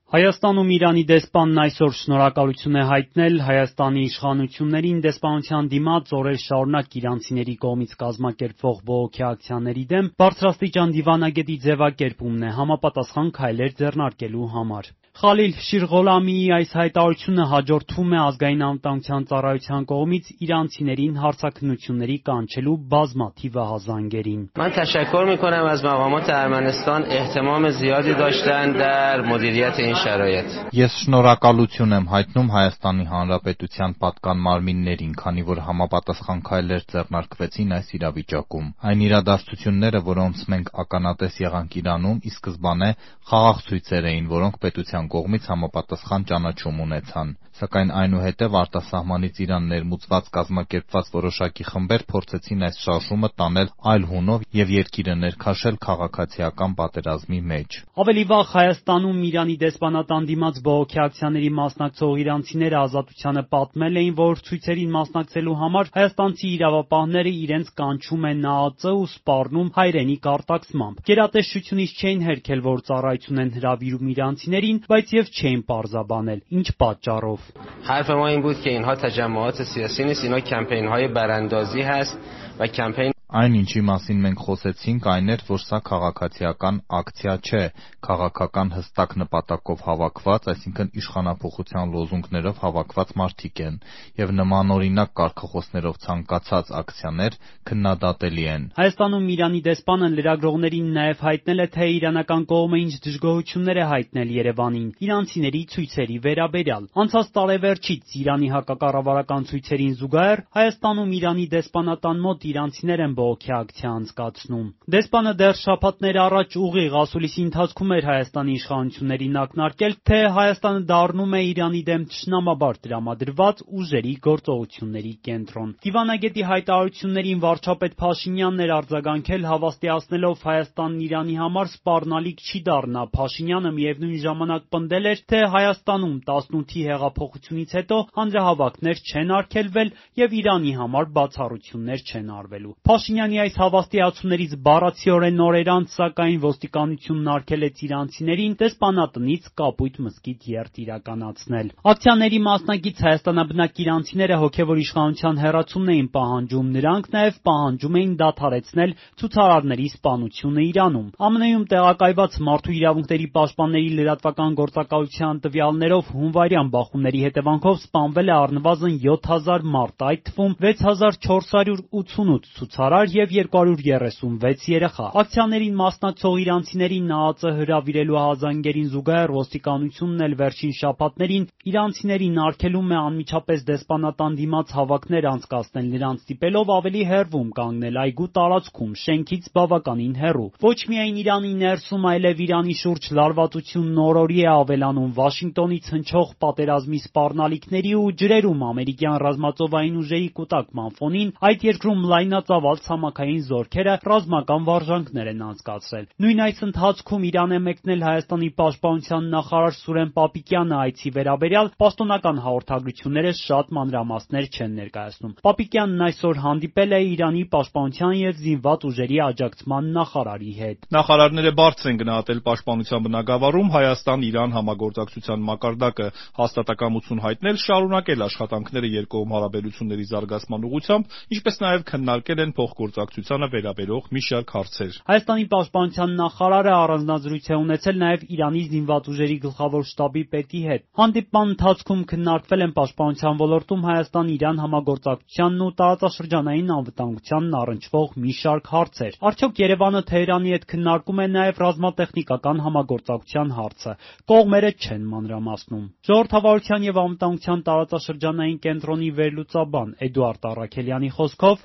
Հայաստանում Իրանի դեսպանն այսօր շնորհակալություն է հայտնել Հայաստանի իշխանություններին դեսպանության դիմաց օրեր շարունակ իրանցիների կողմից կազմակերպվող բողոքի ակցիաների դեմ բարձրաստիճան դիվանագետի ձևակերպումն է համապատասխան քայլեր ձեռնարկելու համար։ Խալիլ Շիրղոլամիի այս հայտարարությունը հաջորդվում է Ազգային անվտանգության ծառայության կողմից իրանցիներին հարցաքննությունների կանչելու բազմաթիվ ահազանգերին։ من تشکر میکنم از مقامات ارمنستان اهتمام زیادی داشتن در مدیریت این شرایط. Ես շնորհակալություն եմ հայտնում Հայաստանի Հանրապետության պատկան մարմիններին, քանի որ համապատասխան քայլեր ձեռնարկվեցին այս իրավիճակում։ Այն իրադարձությունները, որոնց մենք ականատես եղանք Իրանում, ի սկզբանե խաղաղ ցույցեր էին, որոնք պետության կողմից համապատասխան ճանաչում ունեցան, սակայն այնուհետև արտասահմանից Իրան ներմուծված կազմակերպված որոշակի խմբեր փորձեցին այս շարժումը տանել այլ հունով և երկիրը ներքաշել քաղաքացիական պատերազմի մեջ։ Ավելի վաղ Հայաստանում Իրանի դեսպանատան դիմաց բողոքի ակցիաների մասնակցող իրանցիները Ազատությանը պատմել էին, որ ցույցերին մասնակցելու համար հայաստանցի իրավապահները իրենց կանչում են ՆԱԱԾ ու սպառնում հայրենի կարտաքսմամբ։ Գերատեսչությունից չէին հերքել, որ ծառայություն են հրավիրում իրանցիներին, բայց եւ չէին պարզաբանել ինչ պատճառով։ حرف ما این بود که اینها تجمعات سیاسی نیست، اینا کمپین‌های براندازی هست و کمپین Այն ինչի մասին մենք խոսեցինք, այն էր, որ սա քաղաքացիական ակցիա չէ, քաղաքական հստակ նպատակով հավաքված, այսինքն իշխանափոխության լոզունգներով հավաքված մարդիկ են, եւ նմանօրինակ կարգախոսներով ցանկացած ակցիաներ քննադատելի են։ Հայաստանում Իրանի դեսպանը լրագրողներին նաեւ հայտնել է, թե իրանական կողմը ինչ դժգոհություններ է հայտնել Երևանին իրանցիների ցույցերի վերաբերյալ։ Անցած տարեվերջից Իրանի հակակառավարական ցույցերին զուգահեռ Հայաստանում Իրանի դեսպանատան մոտ իրանցիներ են բողոքի ակցիա անցկացնում։ Դեսպանը դեռ շաբաթներ առաջ ուղիղ ասուլիսի ընթացքում էր Հայաստանի իշխանություններին ակնարկել, թե Հայաստանը դառնում է Իրանի դեմ թշնամաբար տրամադրված ուժերի գործողությունների կենտրոն։ Դիվանագետի հայտարարություններին վարչապետ Փաշինյանն էր արձագանքել, հավաստիացնելով Հայաստանն Իրանի համար սպառնալիք չի դառնա։ Փաշինյանը միևնույն ժամանակ պնդել էր, թե Հայաստանում 18-ի հեղափոխությունից հետո հանրահավաքներ չեն արգելվել եւ Իրանի համար բացառություններ չեն արվելու։ Փաշինյանի այս հավաստիացումներից բառացիորեն օրեր անց, սակայն ոստիկանությունն արգելեց իրանցիներին դեսպանատնից Կապույտ մզկիթ երթ իրականացնել։ Ակցիաների մասնակից հայաստանաբնակ իրանցիները հոգևոր իշխանության հեռացումն էին պահանջում, նրանք նաև պահանջում էին դադարեցնել ցուցարարների սպանությունը Իրանում։ ԱՄՆ-ում տեղակայված Մարդու իրավունքների պաշտպանների լրատվական գործակալության տվյալներով հունվարյան բախումների հետևանքով սպանվել է առնվազն 7000 մարդ, այդ թվում 6488 ցուցարար եւ 236 երեխա։ Ակցիաներին մասնակցող իրանցիներին ՆԱԱԾ հրավիրելու ահազանգերին զուգահեռ ոստիկանությունն էլ վերջին շաբաթներին իրանցիներին արգելում է անմիջապես դեսպանատան դիմաց հավաքներ անցկացնել, նրանց ստիպելով ավելի հեռվում կանգնել այգու տարածքում, շենքից բավականին հեռու։ Ոչ միայն Իրանի ներսում, այլև Իրանի շուրջ լարվածությունն օրորի է ավելանում Վաշինգտոնից հնչող պատերազմի սպառնալիքների ու ջրերում ամերիկյան ռազմածովային ուժերի կուտակման ֆոնին այդ երկրում լայնածավալ ցամաքային զորքերը ռազմական վարժանքներ են անցկացրել։ Նույն այս ընթացքում Իրան է մեկնել Հայաստանի պաշտպանության նախարար Սուրեն Պապիկյանը, այցի վերաբերյալ պաշտոնական հաղորդագրությունները շատ մանրամասներ չեն ներկայացնում։ Պապիկյանն այսօր հանդիպել է Իրանի պաշտպանության եւ զինված ուժերի աջակցման նախարարի հետ։ Նախարարները բարձր են գնահատել պաշտպանության բնագավառում Հայաստան-Իրան համագործակցության մակարդակը, հաստատակամություն հայտնել, շարունակել աշխատանքները երկկողմ հարաբերությունների զարգացման ուղղությամբ, ինչպես նաև քննարկել են փոխգործակցությանը վերաբերող մի շարք հարցեր։ Հայաստանի պաշտպանության նախարարը առանձնազրույց է ունեցել նաև Իրանի զինված ուժերի գլխավոր շտաբի պետի հետ։ Հանդիպման ընթացքում քննարկվել են պաշտպանության ոլորտում Հայաստան-Իրան համագործակցությանն ու տարածաշրջանային անվտանգությանն առնչվող մի շարք հարցեր։ Արդյոք Երևանը Թեհրանի հետ քննարկում է նաև ռազմատեխնիկական համագործակցության հարցը։ Կողմերը չեն մանրամասնում։ Ժողովրդավարության եւ անվտանգության տարածաշրջանային կենտրոնի վերլուծաբան Էդուարդ Առաքելյանի խոսքով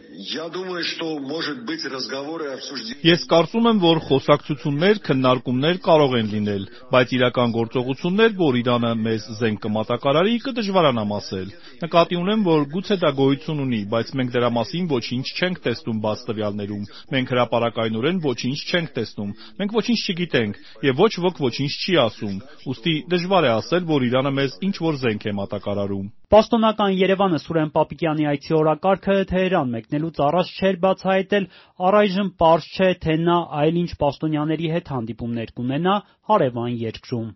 Ես կարծում եմ, որ խոսակցություններ, քննարկումներ կարող են լինել, բայց իրական գործողություններ, որ Իրանը մեզ զենք կմատակարարի, կդժվարանամ ասել։ Նկատի ունեմ, որ գուցե դա գոյություն ունի, բայց մենք դրա մասին ոչինչ չենք տեսնում բաց տվյալներում։ Մենք հրապարակայնորեն ոչինչ չենք տեսնում։ Մենք ոչինչ չգիտենք եւ ոչ ոք ոչինչ չի ասում։ Ուստի դժվար է ասել, որ Իրանը մեզ ինչ որ զենք է մատակարարում։ Պաշտոնական Երևանը Սուրեն Պապիկյանի այցի օրակարգը Թեհրան մեկնելուց առաջ չէր բացահայտել, առայժմ պարզ չէ, թե նա այլ ինչ պաշտոնյաների հետ հանդիպումներ կունենա հարևան երկրում։